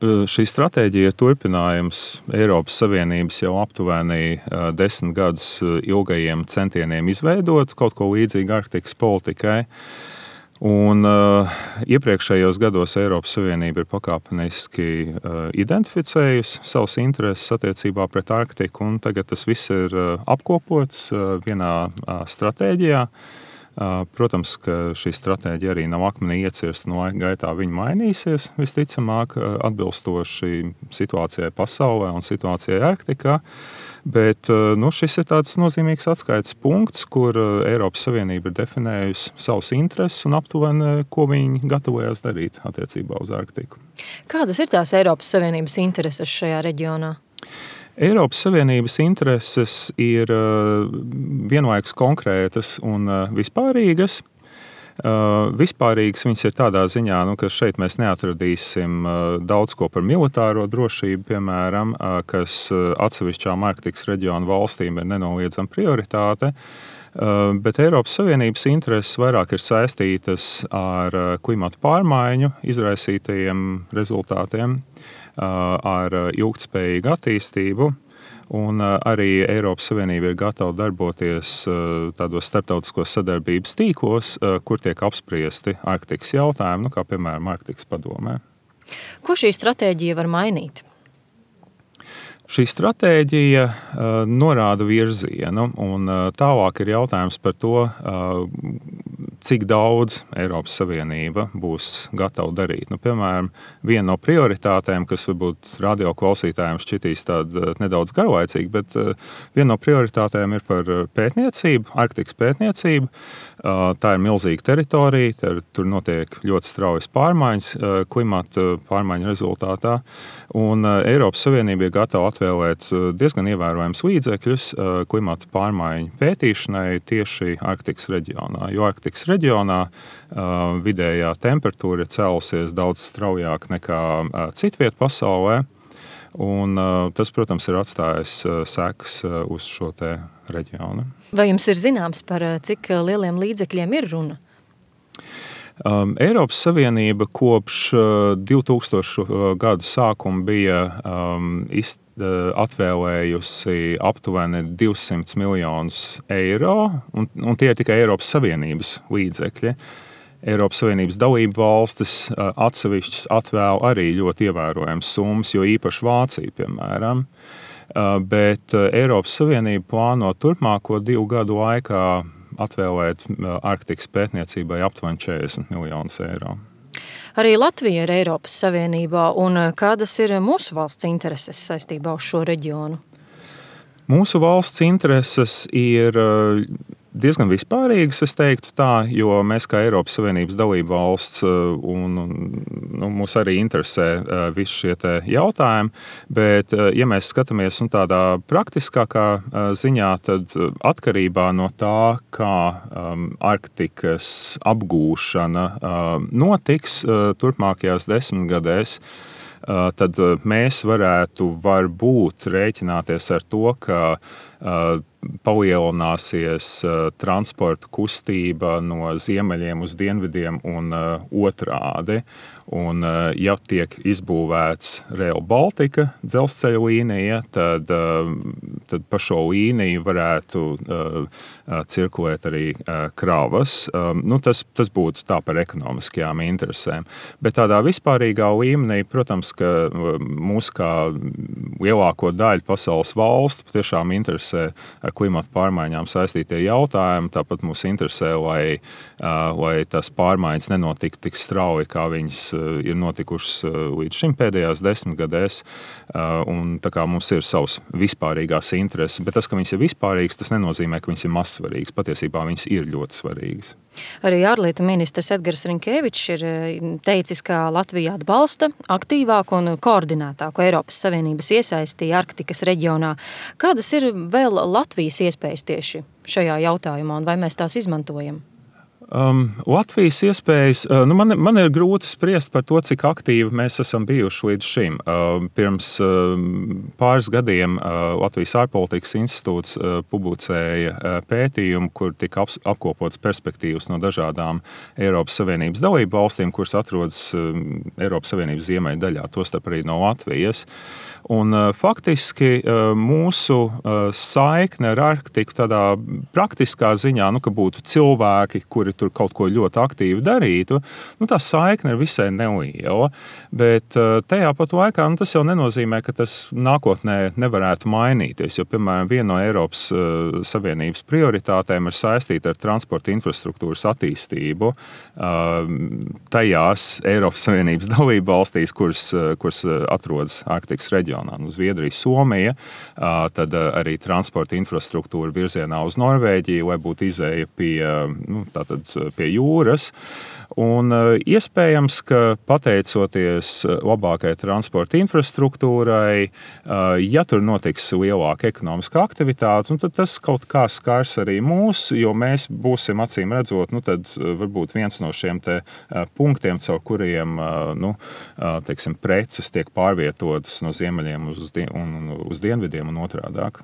Šī stratēģija ir turpinājums Eiropas Savienības jau aptuveni 10 gadus ilgajiem centieniem izveidot kaut ko līdzīgu Arktikas politikai. Un iepriekšējos gados Eiropas Savienība ir pakāpeniski identificējusi savus intereses attiecībā pret Arktiku, un tagad tas viss ir apkopots vienā stratēģijā. Protams, ka šī stratēģija arī nav akmenī iecirsta, no laika gaitā viņa mainīsies, visticamāk, atbilstoši situācijai pasaulē un situācijai Arktikā. Bet šis ir tāds nozīmīgs atskaites punkts, kur Eiropas Savienība ir definējusi savus intereses un aptuveni, ko viņi gatavojas darīt attiecībā uz Arktiku. Kādas ir tās Eiropas Savienības intereses šajā reģionā? Eiropas Savienības intereses ir vienlaikus konkrētas un vispārīgas. Vispārīgas viņas ir tādā ziņā, ka šeit mēs neatradīsim daudz ko par militāro drošību, piemēram, kas atsevišķām Arktikas reģionu valstīm ir nenoliedzama prioritāte. Bet Eiropas Savienības intereses vairāk ir saistītas ar klimata pārmaiņu izraisītajiem rezultātiem, ar ilgtspējīgu attīstību. Un arī Eiropas Savienība ir gatava darboties tādos starptautiskos sadarbības tīklos, kur tiek apspriesti Arktikas jautājumi, kā piemēram Arktikas padomē. Ko šī stratēģija var mainīt? Šī stratēģija norāda virzienu, un tālāk ir jautājums par to, cik daudz Eiropas Savienība būs gatava darīt. Piemēram, viena no prioritātēm, kas varbūt radioklausītājiem šķitīs tāda nedaudz garlaicīga, bet viena no prioritātēm ir par pētniecību, Arktikas pētniecību. Tā ir milzīga teritorija, tur notiek ļoti straujas pārmaiņas klimata pārmaiņu rezultātā, un Eiropas Savienība ir gatava atvēlēt diezgan ievērojams līdzekļus klimata pārmaiņu pētīšanai tieši Arktikas reģionā, jo Arktikas reģionā vidējā temperatūra ir cēlusies daudz straujāk nekā citviet pasaulē, un tas, protams, ir atstājis sekas uz šo te reģionu. Vai jums ir zināms, par cik lieliem līdzekļiem ir runa? Eiropas Savienība kopš 2000 gadu sākuma bija atvēlējusi aptuveni 200 miljonus eiro, un tie ir tikai Eiropas Savienības līdzekļi. Eiropas Savienības dalību valstis atsevišķas atvēl arī ļoti ievērojams summas, jo īpaši Vācija, piemēram. Bet Eiropas Savienība plāno turpmāko 2 gadu laikā atvēlēt Arktikas pētniecībai aptuveni 40 miljonus eiro. Arī Latvija ir Eiropas Savienībā, un kādas ir mūsu valsts intereses saistībā uz šo reģionu? Mūsu valsts intereses ir diezgan vispārīgas, es teiktu tā, jo mēs kā Eiropas Savienības dalība valsts mūs arī interesē visi šie te jautājumi, bet ja mēs skatāmies tādā praktiskākā ziņā, tad atkarībā no tā, kā Arktikas apgūšana notiks turpmākajās 10 gadēs, tad mēs varētu varbūt rēķināties ar to, ka palielināsies transporta kustība no ziemeļiem uz dienvidiem un otrādi. Un, ja tiek izbūvēts Rail Baltica dzelzceļa līnija, tad pa šo līniju varētu cirkulēt arī kravas. Tas būtu tā par ekonomiskajām interesēm. Bet tādā vispārīgā līmenī, protams, ka mūs kā lielāko daļu pasaules valstu patiešām interesē ar klimatu pārmaiņām saistītie jautājumi. Tāpat mūs interesē, lai tās pārmaiņas nenotiktu tik strauji, kā viņas ir notikušas līdz šim pēdējās 10 gadēs. Un tā kā mums ir savas vispārīgās intereses, bet tas, ka viņas ir vispārīgas, tas nenozīmē, ka viņas ir mazsvarīgas. Patiesībā viņas ir ļoti svarīgas. Arī ārlietu ministrs Edgars Rinkēvičs ir teicis, ka Latvija atbalsta aktīvāku un koordinētāku Eiropas Savienības iesaistību Arktikas reģionā. Kādas ir vēl Latvijas iespējas tieši šajā jautājumā un vai mēs tās izmantojam? Latvijas iespējas, man ir grūti spriest par to, cik aktīvi mēs esam bijuši līdz šim. Pirms pāris gadiem Latvijas ārpolitikas institūts publicēja pētījumu, kur tika apkopots perspektīvas no dažādām Eiropas Savienības dalību valstīm, kuras atrodas Eiropas Savienības ziemeļu daļā, tostarp arī no Latvijas. Un faktiski mūsu saikne ar Arktiku tādā praktiskā ziņā, ka būtu cilvēki, kuri tur kaut ko ļoti aktīvi darītu, tā saikne ir visai neliela. Bet tajā pat laikā tas jau nenozīmē, ka tas nākotnē nevarētu mainīties. Jo, piemēram, viena no Eiropas Savienības prioritātēm ir saistīta ar transporta infrastruktūras attīstību tajās Eiropas Savienības dalību valstīs, kuras atrodas Arktikas reģionā. Zviedrija, Somija, tad arī transporta infrastruktūra virzienā uz Norvēģiju, lai būtu izēja pie jūras. Un iespējams, ka pateicoties labākai transporta infrastruktūrai, ja tur notiks lielāka ekonomiska aktivitāte, tad tas kaut kā skars arī mūs, jo mēs būsim acīm redzot, tad varbūt viens no šiem te punktiem, caur kuriem teiksim, preces tiek pārvietotas no ziemeļiem uz dienvidiem un otrādāk.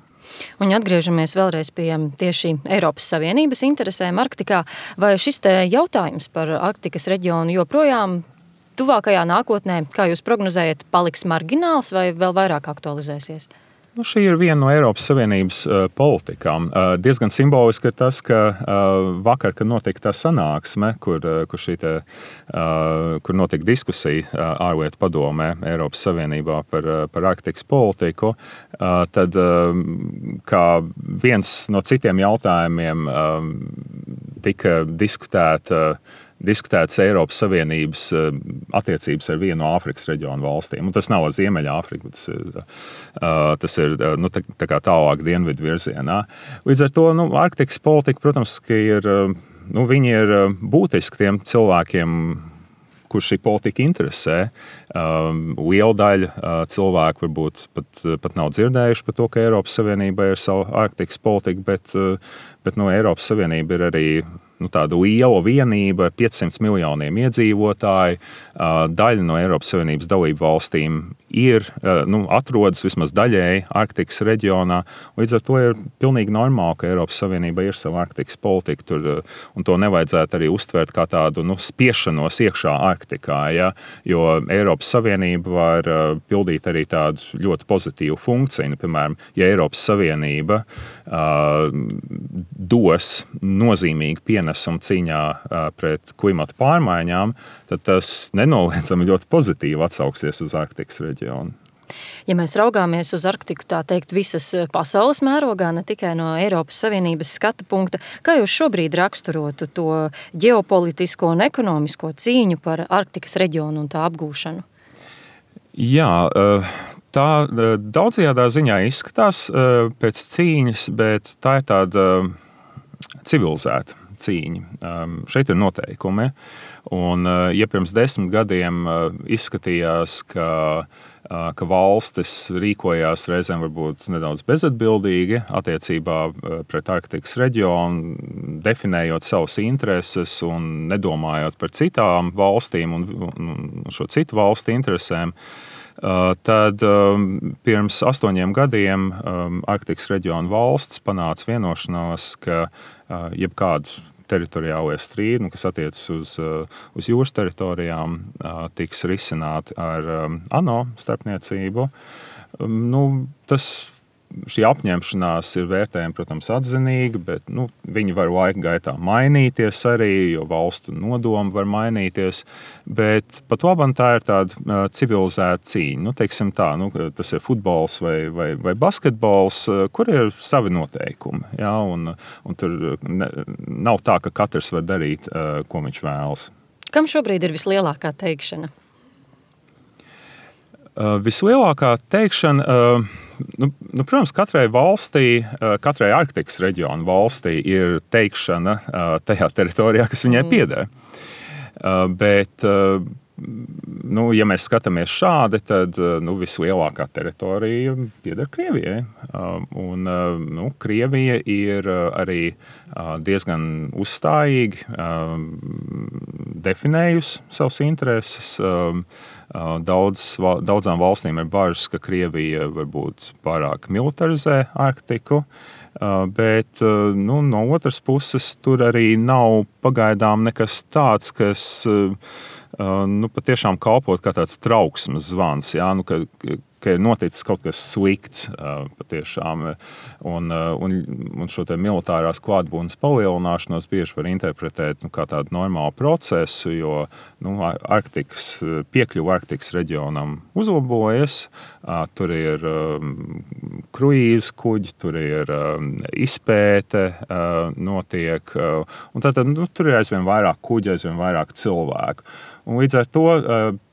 Un atgriežamies vēlreiz pie tieši Eiropas Savienības interesēm Arktikā. Vai šis te jautājums par Arktikas reģionu joprojām tuvākajā nākotnē, kā jūs prognozējat, paliks margināls vai vēl vairāk aktualizēsies? Šī ir viena no Eiropas Savienības politikām. Diezgan simboliski ir tas, ka vakar, kad notika tā sanāksme, kur notika diskusija ārlietu padomē Eiropas Savienībā par Arktikas politiku, tad kā viens no citiem jautājumiem tika diskutētas Eiropas Savienības attiecības ar vienu no Āfrikas reģionu valstīm. Un tas nav Ziemeļāfrika, tas ir tā kā tālāk dienvidu virzienā. Līdz ar to Arktikas politika, protams, ka viņi ir būtiski tiem cilvēkiem, kurš šī politika interesē. Liela daļa cilvēku varbūt pat nav dzirdējuši par to, ka Eiropas Savienība ir sava Arktikas politika, bet Eiropas Savienība ir arī tāda liela vienība ar 500 miljoniem iedzīvotāju. Daļa no Eiropas Savienības dalību valstīm atrodas vismaz daļēji Arktikas reģionā. Līdz ar to ir pilnīgi normāli, ka Eiropas Savienība ir sava Arktikas politika tur, un to nevajadzētu arī uztvert kā tādu spiešanos iekšā Arktikā, ja? Jo Eiropas Savienība var pildīt arī tādu ļoti pozitīvu funkciju. Piemēram, ja Eiropas Savienība dos nozīmīgi pienesumu cīņā pret klimata pārmaiņām, tad tas nenoliedzami ļoti pozitīvi atsauksies uz Arktikas reģionu. Ja mēs raugāmies uz Arktiku, tā teikt, visas pasaules mērogā, ne tikai no Eiropas Savienības skata punkta, kā jūs šobrīd raksturotu to ģeopolitisko un ekonomisko cīņu par Arktikas reģionu un tā apgūšanu? Jā, tā daudzajādā ziņā izskatās pēc cīņas, bet tā ir tāda civilizēta cīņa. Šeit ir noteikumi. Un, ja pirms 10 gadiem izskatījās, ka valstis rīkojās reizēm varbūt nedaudz bezatbildīgi attiecībā pret Arktikas reģionu, definējot savas intereses un nedomājot par citām valstīm un šo citu valstu interesēm, tad pirms 8 gadiem Arktikas reģiona valsts panāca vienošanos, ka jebkādu teritoriālie strīdi, kas attiecas uz jūras teritorijām, tiks risināti ar ANO starpniecību. Šī apņemšanās ir vērtējama, protams, atzinīga, bet viņi var laika gaitā mainīties arī, jo valstu nodomi var mainīties. Bet pat labam tā ir tāda civilizēta cīņa. Teiksim tā, tas ir futbols vai basketbols, kur ir savi noteikumi. Ja? Un tur nav tā, ka katrs var darīt, ko viņš vēlas. Kam šobrīd ir vislielākā teikšana? Vislielākā teikšana, protams, katrai valstī, katrai Arktikas reģiona valstī ir teikšana tajā teritorijā, kas viņai pieder. Bet Ja mēs skatāmies šādi, tad vislielākā teritorija pieder Krievijai. Krievija ir arī diezgan uzstājīgi definējusi savas intereses. Daudzām valstīm ir bažas, ka Krievija varbūt pārāk militarizē Arktiku. Bet no otras puses tur arī nav pagaidām nekas tāds, kas patiešām kalpot kā tāds trauksmes zvans, ka ir noticis kaut kas slikts patiešām. Un šo te militārās klātbūtnes palielināšanos bieži var interpretēt kā tādu normālu procesu, jo piekļuva Arktikas reģionam uzlabojas. Tur ir kruīzu kuģi, tur ir izpēte notiek. Un tātad tur ir aizvien vairāk kuģi, aizvien vairāk cilvēku. Un līdz ar to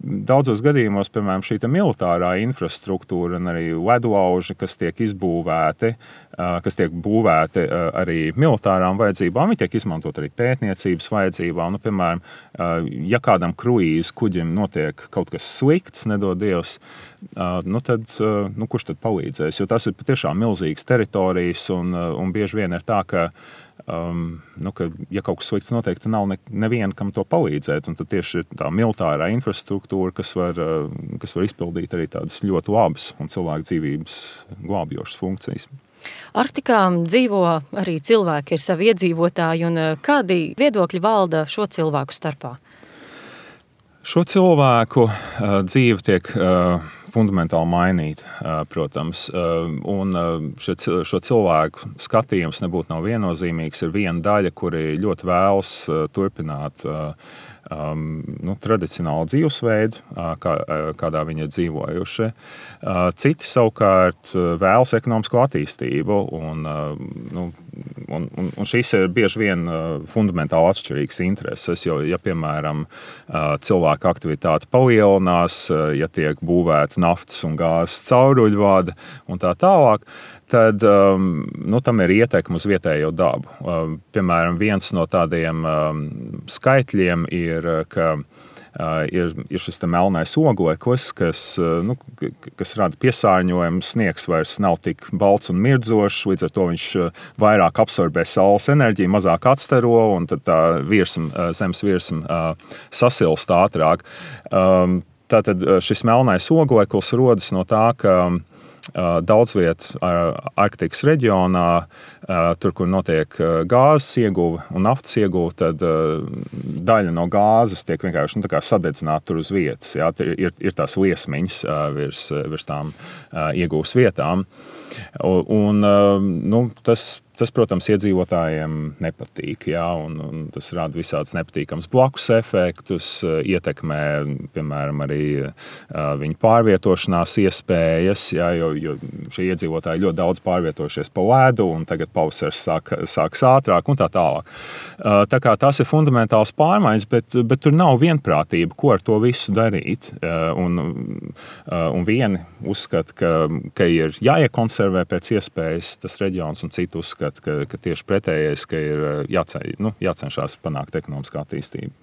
daudzos gadījumos, piemēram, šī militārā infrastruktūra un arī ledlauži, kas tiek izbūvēti, kas tiek būvēti arī militārām vajadzībām, viņi tiek izmantot arī pētniecības vajadzībām. Piemēram, ja kādam kruīzu kuģim notiek kaut kas slikts, nedod Dievs, tad kurš tad palīdzēs? Jo tas ir patiešām milzīgas teritorijas un bieži vien ir tā, ka ja kaut kas slikts notiek, tad nav neviena, kam to palīdzēt. Un tad tieši ir tā militārā infrastruktūra, kas var izpildīt arī tādas ļoti labas un cilvēku dzīvības glābjošas funkcijas. Arktikā dzīvo arī cilvēki, ir savi iedzīvotāji, un kādi viedokļi valda šo cilvēku starpā? Šo cilvēku dzīve tiek fundamentāli mainīta, protams. Un šo cilvēku skatījums nebūtu nav viennozīmīgs. Ir viena daļa, kuri ļoti vēlas turpināt tradicionālu dzīvesveidu, kādā viņi ir dzīvojuši. Citi savukārt vēlas ekonomisko attīstību, un šīs ir bieži vien fundamentāli atšķirīgas intereses, jo, ja, piemēram, cilvēka aktivitāte palielinās, ja tiek būvēta naftas un gāzes cauruļvadi un tā tālāk, tad tam ir ietekme uz vietējo dabu. Piemēram, viens no tādiem skaitļiem ir, ka ir šis melnais ogleklis, kas rada piesārņojumu. Sniegs vairs nav tik balts un mirdzošs, līdz ar to viņš vairāk absorbē saules enerģiju, mazāk atstaro, un tad tā zemes virsma sasilst ātrāk. Tātad šis melnais ogleklis rodas no tā, ka daudz vietu Arktikas reģionā, tur, kur notiek gāzes ieguve un naftas ieguve, tad daļa no gāzes tiek vienkārši sadedzināta tur uz vietas. Jā, ir tās liesmiņas virs tām ieguves vietām. Un tas, protams, iedzīvotājiem nepatīk, jā, un tas rada visādas nepatīkams blakus efektus, ietekmē, piemēram, arī viņu pārvietošanās iespējas, jā, jo šie iedzīvotāji ļoti daudz pārvietojušies pa ledu, un tagad pavasaris sāks ātrāk un tā tālāk. Tā kā tās ir fundamentāls pārmaiņas, bet tur nav vienprātība, ko ar to visu darīt. Un vieni uzskata, ka ir jāiekonservē pēc iespējas tas reģions, un citi uzskata, ka tieši pretējais, ka ir jācenšas panākt ekonomiskā attīstība.